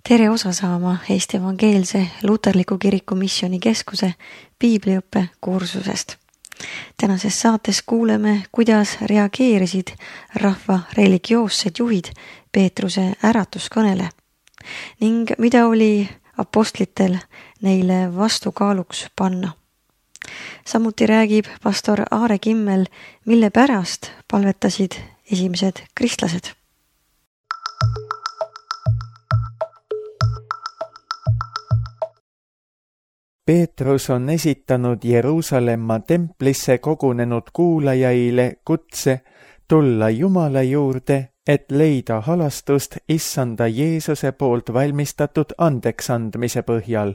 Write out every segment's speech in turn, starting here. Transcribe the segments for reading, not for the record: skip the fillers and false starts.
Tere osa saama Eesti Evangeelse Luterliku Kiriku Missioonikeskuse piibliõppe kursusest. Tänases saates kuuleme, kuidas reageerisid rahva religioossed juhid Peetruse äratuskõnele ning mida oli apostlitel neile vastukaaluks panna. Samuti räägib pastor Aare Kimmel, mille pärast palvetasid esimesed kristlased. Peetrus on esitanud Jeruusalemma templisse kogunenud kuulajaile kutse tulla Jumala juurde, et leida halastust Issanda Jeesuse poolt valmistatud andeksandmise põhjal.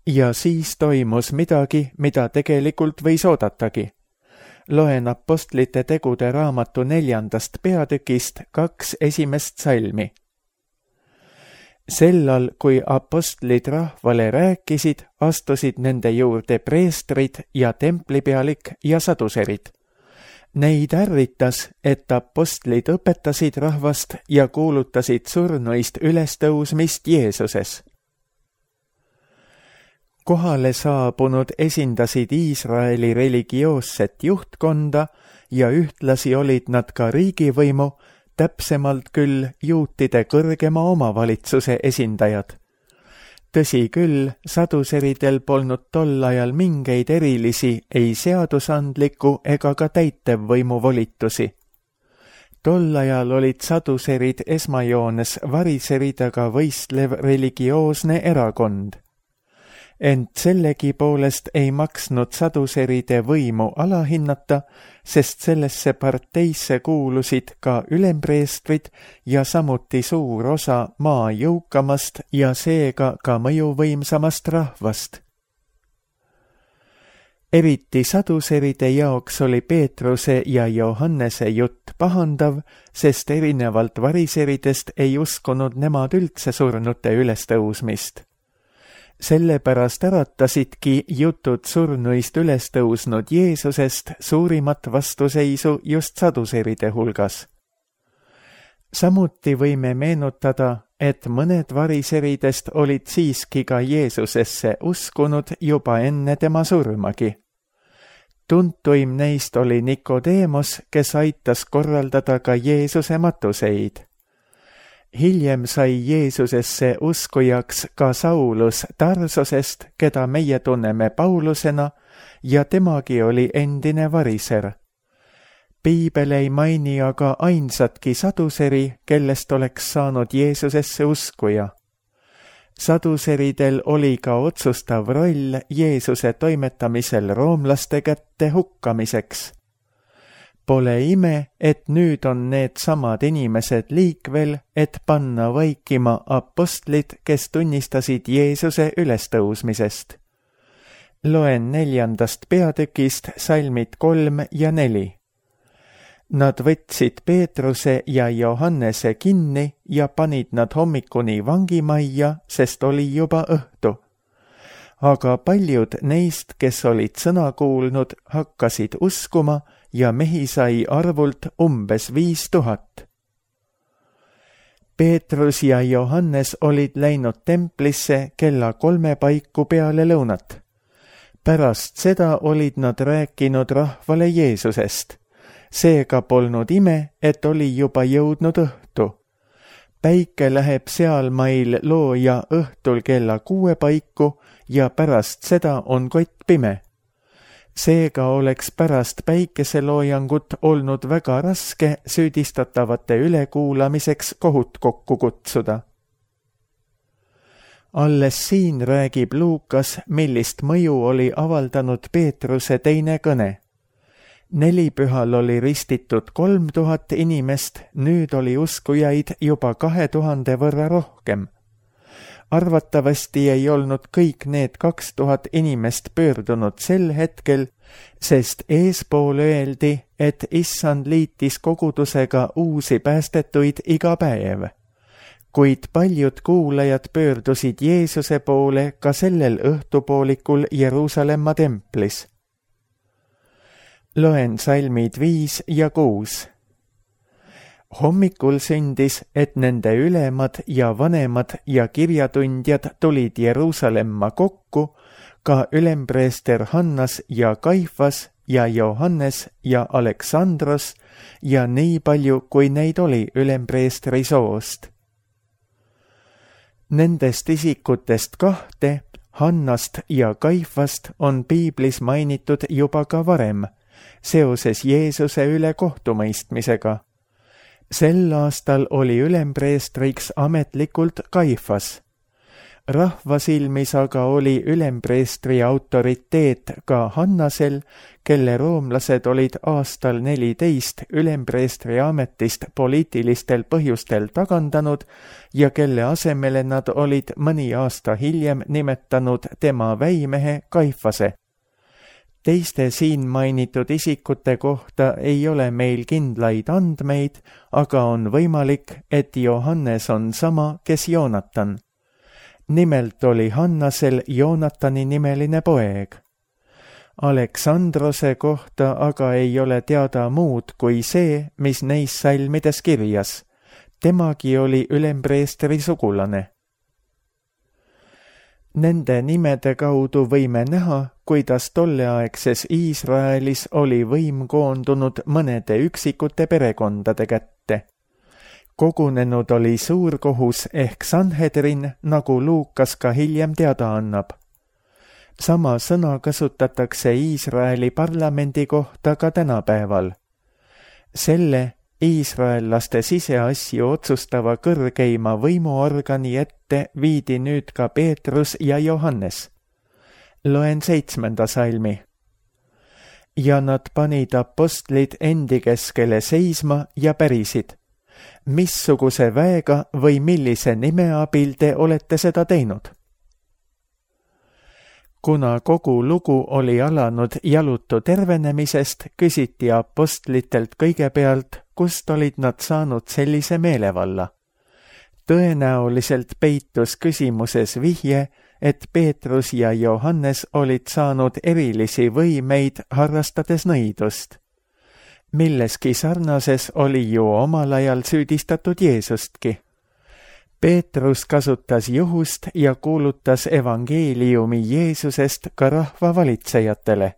Ja siis toimus midagi, mida tegelikult võis oodatagi. Loen Apostlite tegude raamatu 4. peatükist 2 esimest salmi. Sellal, kui apostlid rahvale rääkisid, astusid nende juurde preestrid ja templipealik ja saduserid. Neid ärritas, et apostlid õpetasid rahvast ja kuulutasid surnuist ülestõusmist Jeesuses. Kohale saabunud esindasid Iisraeli religioosset juhtkonda ja ühtlasi olid nad ka riigivõimu, täpsemalt küll juutide kõrgema omavalitsuse esindajad. Tõsi küll, saduseridel polnud tol ajal mingeid erilisi ei seadusandliku ega ka täitevvõimu volitusi. Tol ajal olid saduserid esmajoones variseridega võistlev religioosne erakond. Ent sellegi poolest ei maksnud saduseride võimu alahinnata, sest sellesse parteisse kuulusid ka ülempreestrid ja samuti suur osa maa jõukamast ja seega ka mõjuvõimsamast rahvast. Eriti saduseride jaoks oli Peetruse ja Johannese jutt pahandav, sest erinevalt variseridest ei uskunud nemad üldse surnute ülestõusmist. Sellepärast äratasidki jutud surnuist ülestõusnud Jeesusest suurimat vastuseisu just saduseride hulgas. Samuti võime meenutada, et mõned variseridest olid siiski ka Jeesusesse uskunud juba enne tema surmagi. Tuntuim neist oli Nikodeemos, kes aitas korraldada ka Jeesuse matuseid. Hiljem sai Jeesusesse uskujaks ka Saulus Tarsosest, keda meie tunneme Paulusena, ja temagi oli endine variser. Piibel ei maini aga ainsatki saduseri, kellest oleks saanud Jeesusesse uskuja. Saduseridel oli ka otsustav roll Jeesuse toimetamisel roomlaste kätte hukkamiseks. Pole ime, et nüüd on need samad inimesed liikvel, et panna vaikima apostlid, kes tunnistasid Jeesuse ülestõusmisest. Loen 4. peatükist salmid 3 ja 4. Nad võtsid Peetruse ja Johannese kinni ja panid nad hommikuni vangimajja, sest oli juba õhtu. Aga paljud neist, kes olid sõna kuulnud, hakkasid uskuma ja mehi sai arvult umbes 5000. Peetrus ja Johannes olid läinud templisse kella 3 paiku peale lõunat. Pärast seda olid nad rääkinud rahvale Jeesusest. Seega polnud ime, et oli juba jõudnud õhtu. Päike läheb sealmail looja õhtul kella 6 paiku ja pärast seda on kott pime. Seega oleks pärast päikeseloojangut olnud väga raske süüdistatavate ülekuulamiseks kohut kokku kutsuda. Alles siin räägib Luukas, millist mõju oli avaldanud Peetruse teine kõne. Nelipühal oli ristitud 3000 inimest, nüüd oli uskujaid juba 2000 võrra rohkem. Arvatavasti ei olnud kõik need 2000 inimest pöördunud sel hetkel, sest eespool öeldi, et Issand liitis kogudusega uusi päästetuid iga päev. Kuid paljud kuulajad pöördusid Jeesuse poole ka sellel õhtupoolikul Jeruusalemma templis. Loen salmid 5 ja 6. Hommikul sündis, et nende ülemad ja vanemad ja kirjatundjad tulid Jeruusalemma kokku, ka ülempreester Hannas ja Kaifas ja Johannes ja Aleksandros ja nii palju, kui neid oli ülempreestri soost. Nendest isikutest 2, Hannast ja Kaifast, on piiblis mainitud juba ka varem, seoses Jeesuse üle kohtumõistmisega. Sel aastal oli ülempreestriks ametlikult Kaifas. Rahva silmis aga oli ülempreestri autoriteet ka Hannasel, kelle roomlased olid aastal 14 ülempreestri ametist poliitilistel põhjustel tagandanud ja kelle asemele nad olid mõni aasta hiljem nimetanud tema väimehe Kaifase. Teiste siin mainitud isikute kohta ei ole meil kindlaid andmeid, aga on võimalik, et Johannes on sama, kes Joonatan. Nimelt oli Hannasel Joonatani nimeline poeg. Aleksandrose kohta aga ei ole teada muud kui see, mis neis salmides kirjas. Temagi oli ülempreestri sugulane. Nende nimede kaudu võime näha, kuidas tolleaegses Iisraelis oli võim koondunud mõnede üksikute perekondade kätte. Kogunenud oli suurkohus ehk Sanhedrin, nagu Luukas ka hiljem teada annab. Sama sõna kasutatakse Iisraeli parlamendi kohta ka tänapäeval. Selle iisraellaste siseasju otsustava kõrgeima võimuorgani ette viidi nüüd ka Peetrus ja Johannes. Loen 7. salmi. Ja nad panid apostlid endi keskele seisma ja pärisid. Missuguse väega või millise nime abil te olete seda teinud? Kuna kogu lugu oli alanud jalutu tervenemisest, küsiti apostlitelt kõigepealt, kust olid nad saanud sellise meelevalla. Tõenäoliselt peitus küsimuses vihje, et Peetrus ja Johannes olid saanud erilisi võimeid harrastades nõidust. Milleski sarnases oli ju omal ajal süüdistatud Jeesustki. Peetrus kasutas juhust ja kuulutas evangeeliumi Jeesusest ka rahva valitsejatele.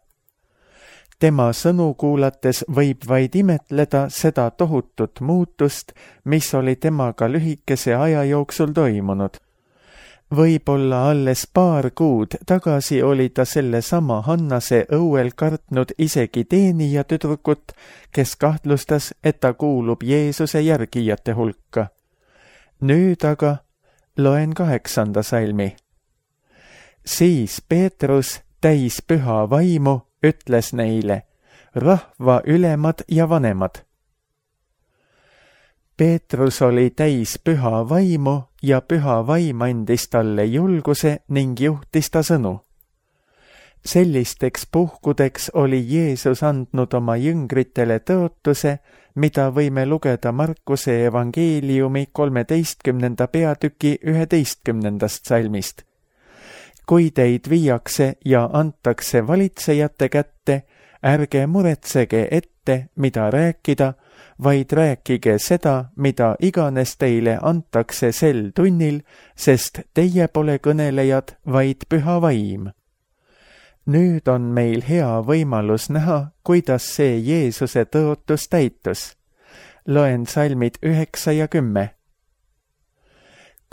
Tema sõnu kuulates võib vaid imetleda seda tohutut muutust, mis oli temaga lühikese aja jooksul toimunud. Võib-olla alles paar kuud tagasi oli ta sellesama Hannase õuel kartnud isegi teenijatüdrukut, kes kahtlustas, et ta kuulub Jeesuse järgijate hulka. Nüüd aga loen 8. salmi. Siis Peetrus, täis püha vaimu, ütles neile, rahva ülemad ja vanemad. Peetrus oli täis püha vaimu ja püha vaim andis talle julguse ning juhtis ta sõnu. Sellisteks puhkudeks oli Jeesus andnud oma jüngritele tõotuse, mida võime lugeda Markuse evangeeliumi 13. peatüki 11. salmist. Kui teid viiakse ja antakse valitsejate kätte, ärge muretsege ette, mida rääkida, vaid rääkige seda, mida iganes teile antakse sel tunnil, sest teie pole kõnelejad, vaid püha vaim. Nüüd on meil hea võimalus näha, kuidas see Jeesuse tõotus täitus. Loen salmid 9 ja 10.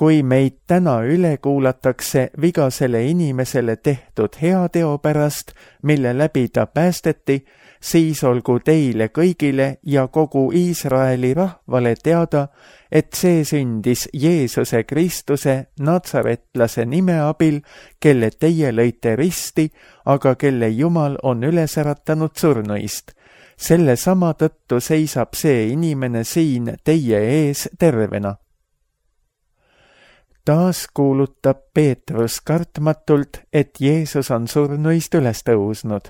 Kui meid täna üle kuulatakse vigasele inimesele tehtud heateo pärast, mille läbi ta päästeti, siis olgu teile kõigile ja kogu Iisraeli rahvale teada, et see sündis Jeesuse Kristuse natsaretlase nime abil, kelle teie lõite risti, aga kelle Jumal on üles äratanud surnuist. Selle sama tõttu seisab see inimene siin teie ees tervena. Taas kuulutab Peetrus kartmatult, et Jeesus on surnuist üles tõusnud.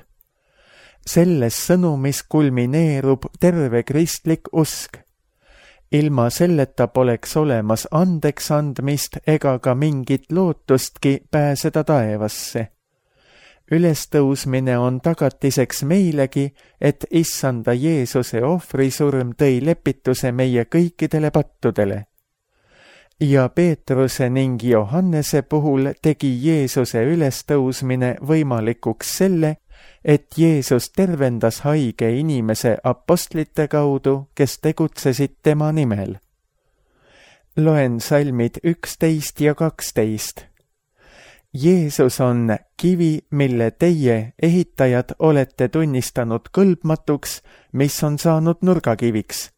Selles sõnumis kulmineerub terve kristlik usk. Ilma selleta poleks olemas andeks andmist ega ka mingit lootustki pääseda taevasse. ülestõusmine on tagatiseks meilegi, et Issanda Jeesuse ohvrisurm tõi lepituse meie kõikidele pattudele. Ja Peetruse ning Johannese puhul tegi Jeesuse ülestõusmine võimalikuks selle, et Jeesus tervendas haige inimese apostlite kaudu, kes tegutsesid tema nimel. Loen salmid 11 ja 12. Jeesus on kivi, mille teie, ehitajad, olete tunnistanud kõlbmatuks, mis on saanud nurgakiviks.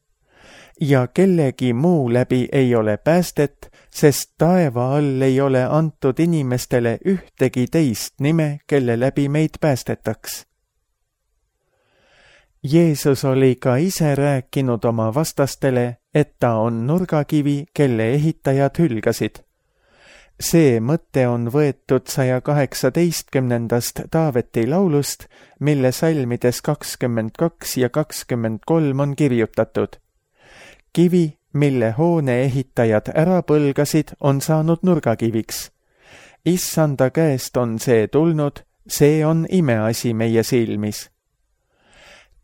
Ja kellegi muu läbi ei ole päästet, sest taeva all ei ole antud inimestele ühtegi teist nime, kelle läbi meid päästetaks. Jeesus oli ka ise rääkinud oma vastastele, et ta on nurgakivi, kelle ehitajad hülgasid. See mõte on võetud 118. Taaveti laulust, mille salmides 22 ja 23 on kirjutatud. Kivi, mille hoone ehitajad ära põlgasid, on saanud nurgakiviks. Issanda käest on see tulnud, see on imeasi meie silmis.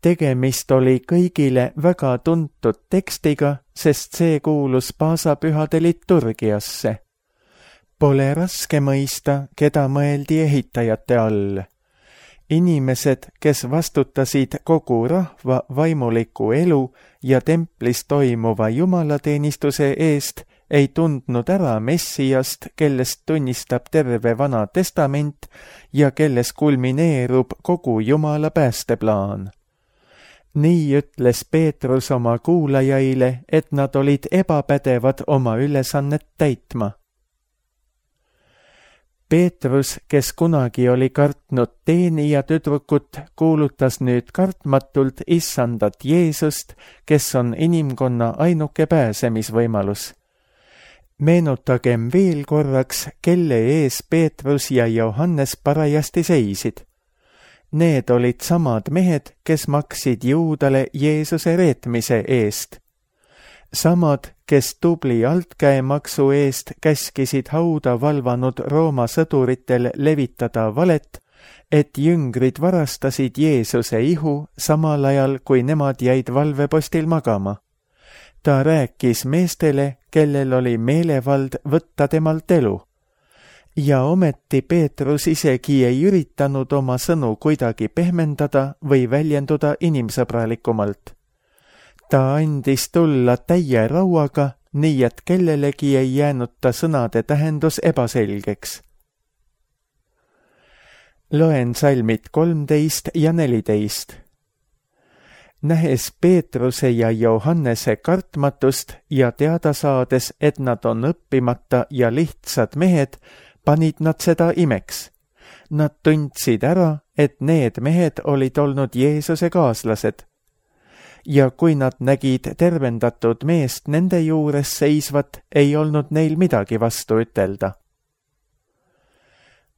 Tegemist oli kõigile väga tuntud tekstiga, sest see kuulus paasapühade liturgiasse. Pole raske mõista, keda mõeldi ehitajate all. Inimesed, kes vastutasid kogu rahva vaimuliku elu ja templis toimuva jumalateenistuse eest, ei tundnud ära Messiast, kellest tunnistab terve Vana Testament ja kelles kulmineerub kogu Jumala päästeplaan. Nii ütles Peetrus oma kuulajaile, et nad olid ebapädevad oma ülesannet täitma. Peetrus, kes kunagi oli kartnud teenija tüdrukut, kuulutas nüüd kartmatult Issandat Jeesust, kes on inimkonna ainuke pääsemisvõimalus. Meenutagem veel korraks, kelle ees Peetrus ja Johannes parajasti seisid. Need olid samad mehed, kes maksid Juudale Jeesuse reetmise eest. Samad, kes tubli altkäemaksu eest käskisid hauda valvanud Rooma sõduritel levitada valet, et jüngrid varastasid Jeesuse ihu samal ajal, kui nemad jäid valvepostil magama. Ta rääkis meestele, kellel oli meelevald võtta temalt elu. Ja ometi Peetrus isegi ei üritanud oma sõnu kuidagi pehmendada või väljenduda inimsõbralikumalt. Ta andis tulla täie rauaga, nii et kellelegi ei jäänud ta sõnade tähendus ebaselgeks. Loen salmid 13 ja 14. Nähes Peetruse ja Johannese kartmatust ja teada saades, et nad on õppimata ja lihtsad mehed, panid nad seda imeks. Nad tundsid ära, et need mehed olid olnud Jeesuse kaaslased. Ja kui nad nägid tervendatud meest nende juures seisvat, ei olnud neil midagi vastu ütelda.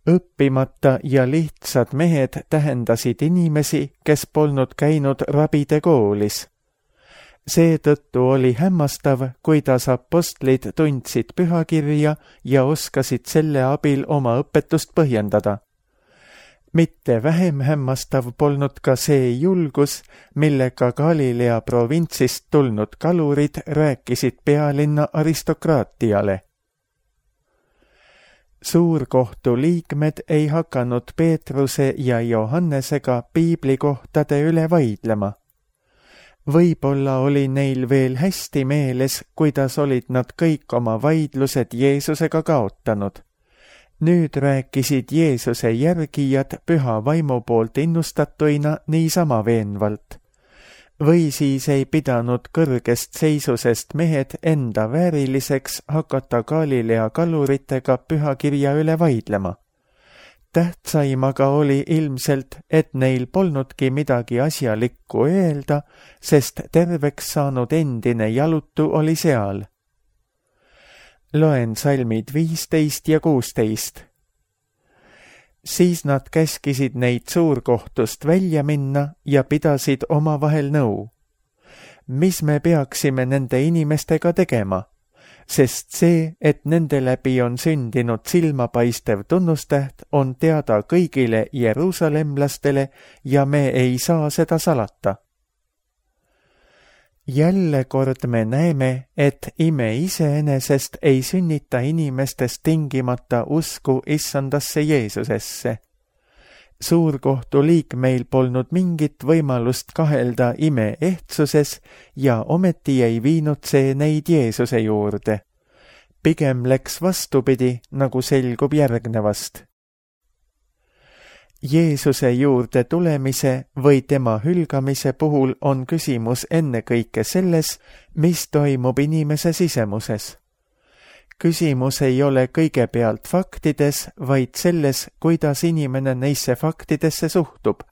Õppimata ja lihtsad mehed tähendasid inimesi, kes polnud käinud rabide koolis. Seetõttu oli hämmastav, kuidas apostlid tundsid pühakirja ja oskasid selle abil oma õpetust põhjendada. Mitte vähem hämmastav polnud ka see julgus, millega Galilea provintsist tulnud kalurid rääkisid pealinna aristokraatiale. Suurkohtu liikmed ei hakanud Peetruse ja Johannesega piiblikohtade üle vaidlema. Võib-olla oli neil veel hästi meeles, kuidas olid nad kõik oma vaidlused Jeesusega kaotanud. Nüüd rääkisid Jeesuse järgijad püha vaimu poolt innustatuina niisama veenvalt. Või siis ei pidanud kõrgest seisusest mehed enda vääriliseks hakata Galilea kaluritega pühakirja üle vaidlema. Tähtsaim aga oli ilmselt, et neil polnudki midagi asjalikku öelda, sest terveks saanud endine jalutu oli seal. Loen salmid 15 ja 16. Siis nad käskisid neid suurkohtust välja minna ja pidasid omavahel nõu. Mis me peaksime nende inimestega tegema? sest see, et nende läbi on sündinud silmapaistev tunnustäht, on teada kõigile jeruusalemlastele ja me ei saa seda salata. Jälle kord me näeme, et ime iseenesest ei sünnita inimestest tingimata usku issandasse Jeesusesse. Suurkohtu liikmeil polnud mingit võimalust kahelda ime ehtsuses ja ometi ei viinud see neid Jeesuse juurde. Pigem läks vastupidi, nagu selgub järgnevast. Jeesuse juurde tulemise või tema hülgamise puhul on küsimus ennekõike selles, mis toimub inimese sisemuses. Küsimus ei ole kõigepealt faktides, vaid selles, kuidas inimene neisse faktidesse suhtub.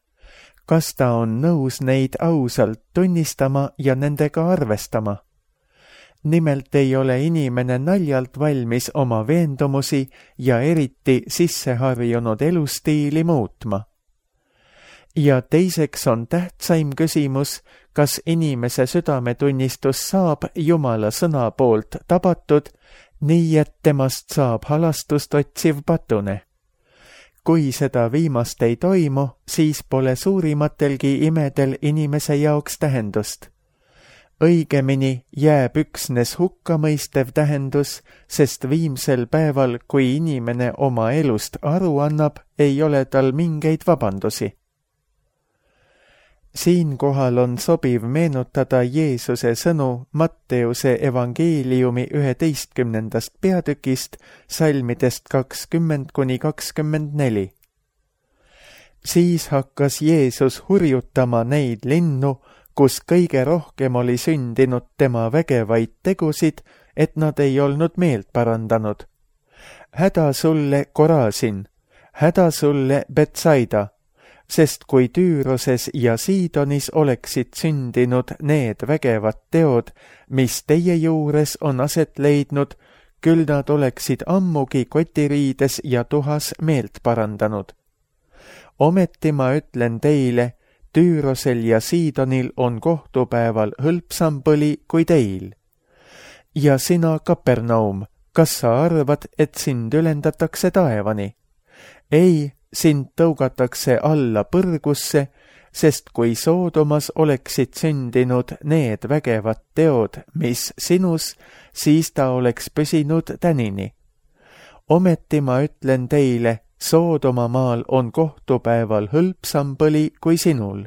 Kas ta on nõus neid ausalt tunnistama ja nendega arvestama? Nimelt ei ole inimene naljalt valmis oma veendumusi ja eriti sisseharjunud elustiili muutma. Ja teiseks on tähtsaim küsimus, kas inimese südametunnistus saab Jumala sõna poolt tabatud, nii et temast saab halastust otsiv patune. Kui seda viimast ei toimu, siis pole suurimatelgi imedel inimese jaoks tähendust. Õigemini jääb üksnes hukkamõistev tähendus, sest viimsel päeval, kui inimene oma elust aru annab, ei ole tal mingeid vabandusi. Siinkohal on sobiv meenutada Jeesuse sõnu Matteuse evangeeliumi 11. peatükist, salmidest 20–24. Siis hakkas Jeesus hurjutama neid linnu, kus kõige rohkem oli sündinud tema vägevaid tegusid, et nad ei olnud meelt parandanud. Häda sulle, Korasin, häda sulle, Betsaida, sest kui Tüüroses ja Siidonis oleksid sündinud need vägevad teod, mis teie juures on aset leidnud, küll nad oleksid ammugi kotiriides ja tuhas meelt parandanud. Ometi ma ütlen teile, Tüürosel ja Siidonil on kohtupäeval hõlpsam põli kui teil. Ja sina, Kapernaum, kas sa arvad, et sind ülendatakse taevani? Ei, sind tõugatakse alla põrgusse, sest kui Soodomas oleksid sündinud need vägevad teod, mis sinus, siis ta oleks püsinud tänini. Ometi ma ütlen teile, Soodoma maal on kohtupäeval hõlpsam põli kui sinul.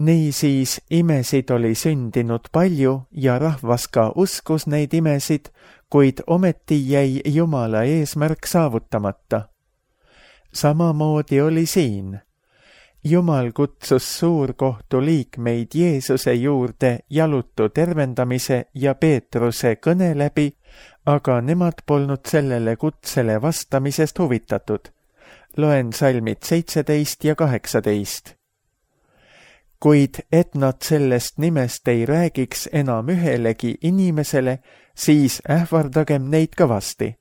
Niisiis imesid oli sündinud palju ja rahvas ka uskus neid imesid, kuid ometi jäi Jumala eesmärk saavutamata. Samamoodi oli siin. Jumal kutsus suurkohtu liikmeid Jeesuse juurde jalutu tervendamise ja Peetruse kõne läbi, aga nemad polnud sellele kutsele vastamisest huvitatud. Loen salmid 17 ja 18. Kuid et nad sellest nimest ei räägiks enam ühelegi inimesele, siis ähvardagem neid kõvasti.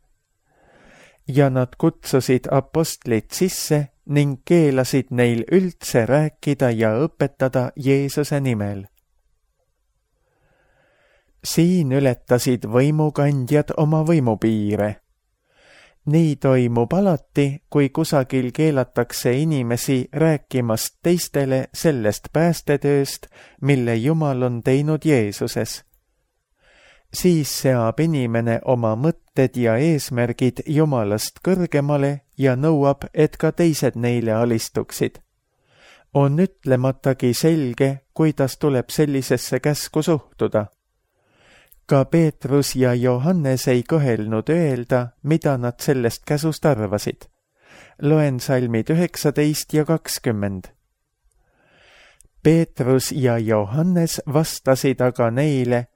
Ja nad kutsusid apostlid sisse ning keelasid neil üldse rääkida ja õpetada Jeesuse nimel. Siin ületasid võimukandjad oma võimupiire. Nii toimub alati, kui kusagil keelatakse inimesi rääkimast teistele sellest päästetööst, mille Jumal on teinud Jeesuses. Siis seab inimene oma mõtted ja eesmärgid Jumalast kõrgemale ja nõuab, et ka teised neile alistuksid. On ütlematagi selge, kuidas tuleb sellisesse käsku suhtuda. Ka Peetrus ja Johannes ei kõhelnud öelda, mida nad sellest käsust arvasid. Loen salmid 19 ja 20. Peetrus ja Johannes vastasid aga neile,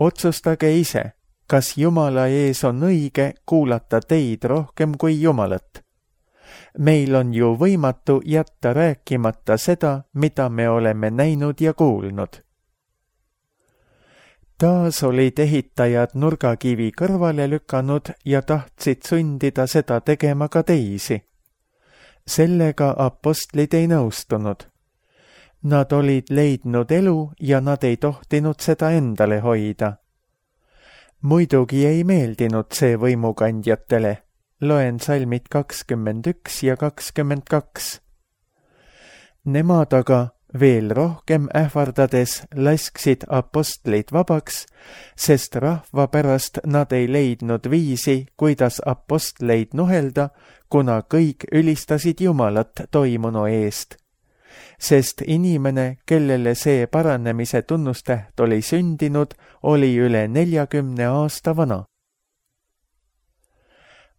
otsustage ise, kas Jumala ees on õige kuulata teid rohkem kui Jumalat. Meil on ju võimatu jätta rääkimata seda, mida me oleme näinud ja kuulnud. Taas olid ehitajad nurgakivi kõrvale lükanud ja tahtsid sundida seda tegema ka teisi. Sellega apostlid ei nõustunud. Nad olid leidnud elu ja nad ei tohtinud seda endale hoida. muidugi ei meeldinud see võimukandjatele. Loen salmid 21 ja 22. Nemad aga veel rohkem ähvardades lasksid apostlid vabaks, sest rahva pärast nad ei leidnud viisi, kuidas apostleid nuhelda, kuna kõik ülistasid Jumalat toimunu eest. Sest inimene, kellele see paranemise tunnustäht oli sündinud, oli üle 40 aasta vana.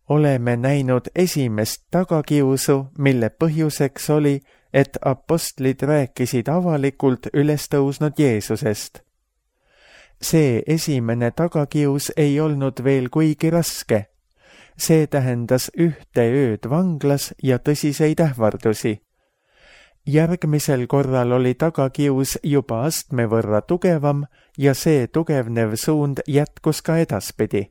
Oleme näinud esimest tagakiusu, mille põhjuseks oli, et apostlid rääkisid avalikult ülestõusnud Jeesusest. See esimene tagakius ei olnud veel kuigi raske. See tähendas 1 ööd vanglas ja tõsiseid ähvardusi. Järgmisel korral oli tagakius juba astme võrra tugevam ja see tugevnev suund jätkus ka edaspidi.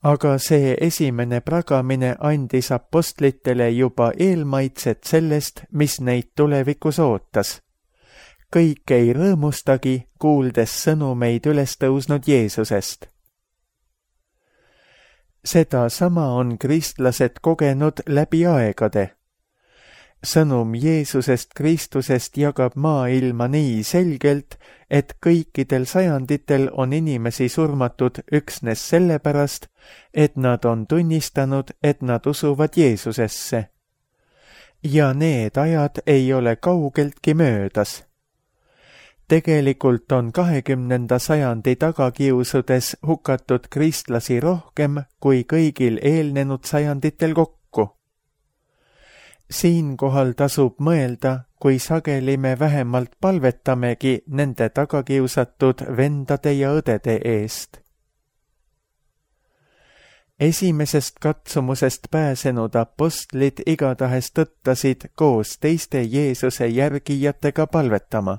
Aga see esimene pragamine andis apostlitele juba eelmaitset sellest, mis neid tulevikus ootas. Kõik ei rõõmustagi, kuuldes sõnumeid ülestõusnud Jeesusest. Seda sama on kristlased kogenud läbi aegade. Sõnum Jeesusest Kristusest jagab maailma nii selgelt, et kõikidel sajanditel on inimesi surmatud üksnes sellepärast, et nad on tunnistanud, et nad usuvad Jeesusesse. Ja need ajad ei ole kaugeltki möödas. Tegelikult on 20. sajandi tagakiusudes hukatud kristlasi rohkem kui kõigil eelnenud sajanditel kokku. Siinkohal tasub mõelda, kui sageli me vähemalt palvetamegi nende tagakiusatud vendade ja õdede eest. Esimesest katsumusest pääsenud apostlid igatahes tõttasid koos teiste Jeesuse järgijatega palvetama.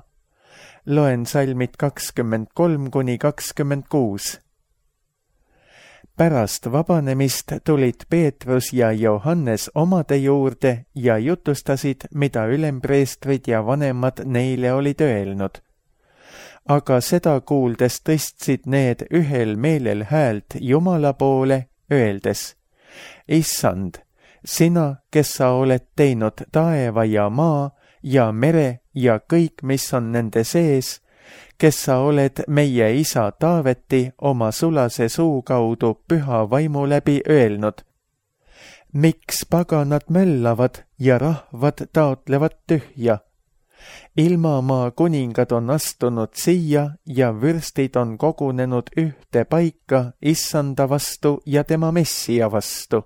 Loen salmid 23–26. Pärast vabanemist tulid Peetrus ja Johannes omade juurde ja jutustasid, mida ülempreestrid ja vanemad neile olid öelnud. Aga seda kuuldes tõstsid need ühel meelel häält Jumala poole, öeldes: Issand, sina, kes sa oled teinud taeva ja maa ja mere ja kõik, mis on nende sees, kes sa oled meie isa Taaveti oma sulase suu kaudu püha vaimu läbi öelnud: miks paganad möllavad ja rahvad taotlevad tühja? Ilmamaa kuningad on astunud siia ja vürstid on kogunenud ühte paika issanda vastu ja tema messia vastu.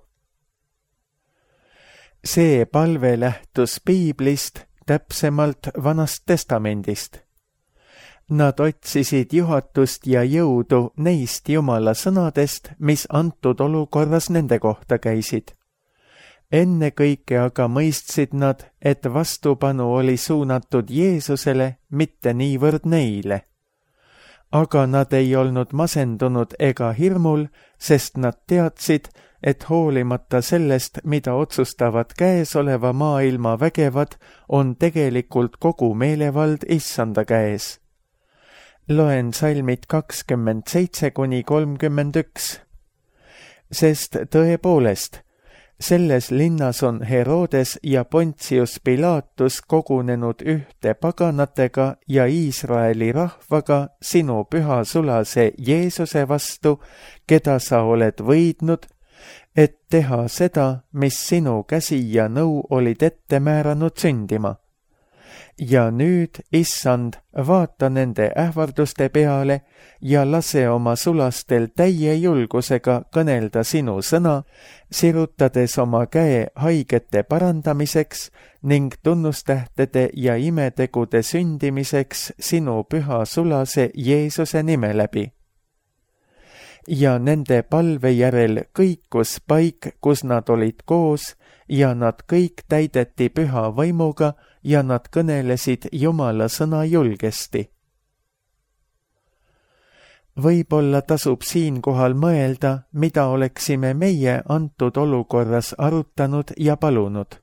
See palve lähtus piiblist, täpsemalt Vanast Testamendist. Nad otsisid juhatust ja jõudu neist Jumala sõnadest, mis antud olukorras nende kohta käisid. Ennekõike aga mõistsid nad, et vastupanu oli suunatud Jeesusele, mitte niivõrd neile. Aga nad ei olnud masendunud ega hirmul, sest nad teadsid, et hoolimata sellest, mida otsustavad käesoleva maailma vägevad, on tegelikult kogu meelevald issanda käes. Loen salmid 27–31. Sest tõepoolest, selles linnas on Herodes ja Pontius Pilatus kogunenud ühte paganatega ja Iisraeli rahvaga sinu püha sulase Jeesuse vastu, keda sa oled võidnud, et teha seda, mis sinu käsi ja nõu olid ette määranud sündima. Ja nüüd, issand, vaata nende ähvarduste peale ja lase oma sulastel täie julgusega kõnelda sinu sõna, sirutades oma käe haigete parandamiseks ning tunnustähtede ja imetegude sündimiseks sinu püha sulase Jeesuse nime läbi. Ja nende palve järel kõikus paik, kus nad olid koos, ja nad kõik täideti püha vaimuga ja nad kõnelesid Jumala sõna julgesti. Võib-olla tasub siinkohal mõelda, mida oleksime meie antud olukorras arutanud ja palunud.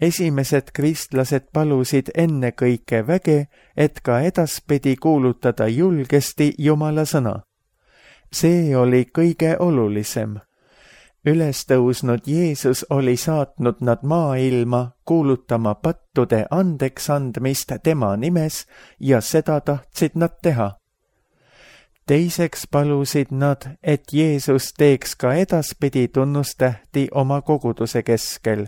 Esimesed kristlased palusid ennekõike väge, et ka edaspidi kuulutada julgesti Jumala sõna. See oli kõige olulisem. Ülestõusnud Jeesus oli saatnud nad maailma kuulutama pattude andeks andmist tema nimes ja seda tahtsid nad teha. Teiseks palusid nad, et Jeesus teeks ka edaspidi tunnustähti oma koguduse keskel.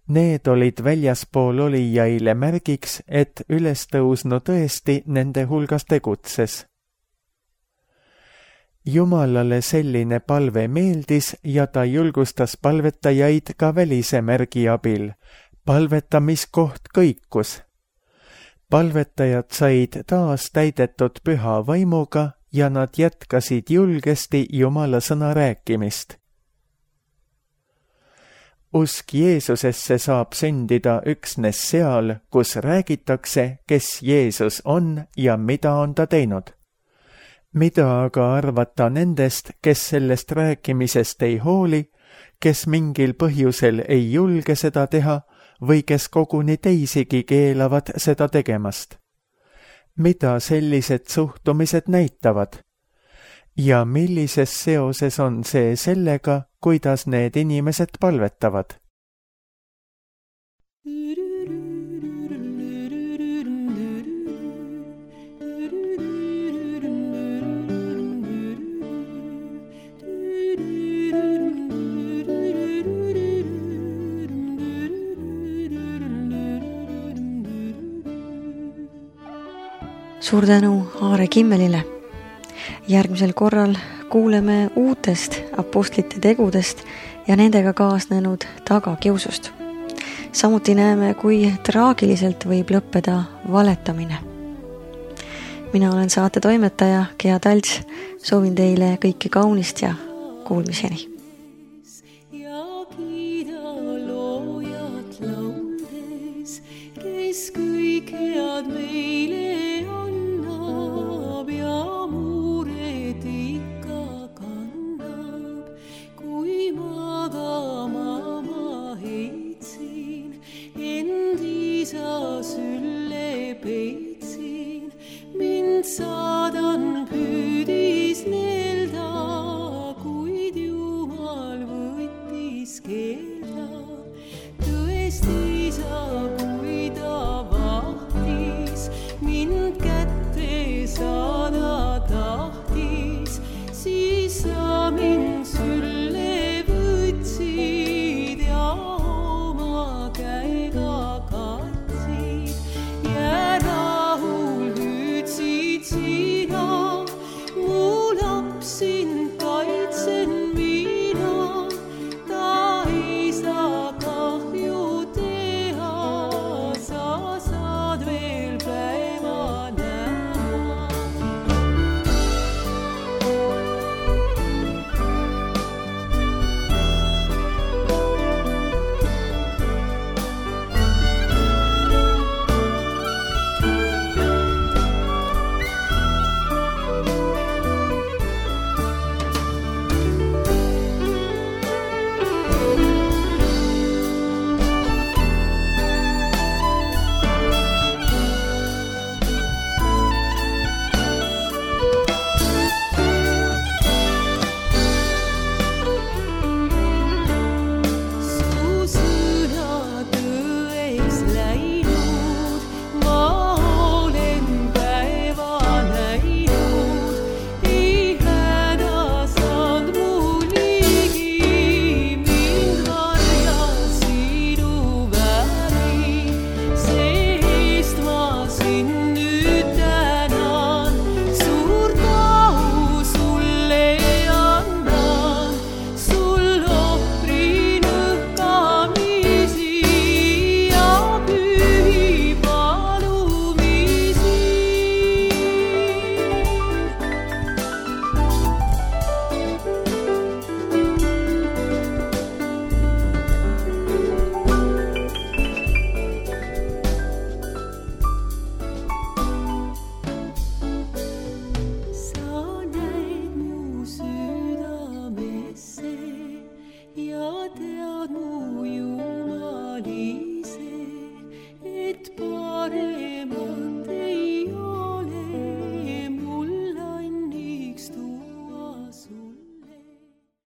Need olid väljaspool olijaile märgiks, et ülestõusnu tõesti nende hulgas tegutses. Jumalale selline palve meeldis ja ta julgustas palvetajaid ka välise märgi abil. Palvetamiskoht kõikus. Palvetajad said taas täidetud püha vaimuga ja nad jätkasid julgesti Jumala sõna rääkimist. Usk Jeesusesse saab sündida üksnes seal, kus räägitakse, kes Jeesus on ja mida on ta teinud. Mida aga arvata nendest, kes sellest rääkimisest ei hooli, kes mingil põhjusel ei julge seda teha või kes koguni teisigi keelavad seda tegemast? Mida sellised suhtumised näitavad? Ja millises seoses on see sellega, kuidas need inimesed palvetavad? Suur tänu Aare Kimmelile. Järgmisel korral kuuleme uutest apostlite tegudest ja nendega kaasnenud tagakiusust. Samuti näeme, kui traagiliselt võib lõppeda valetamine. Mina olen saate toimetaja Gea Talts. Soovin teile kõike kaunist ja kuulmiseni. Kes kõik head meile annab ja muured ikka kannab. Kui magama ma heitsin, end isa sülle peitsin, mind saadan püüdis neelda, kuid Jumal võttis keelda.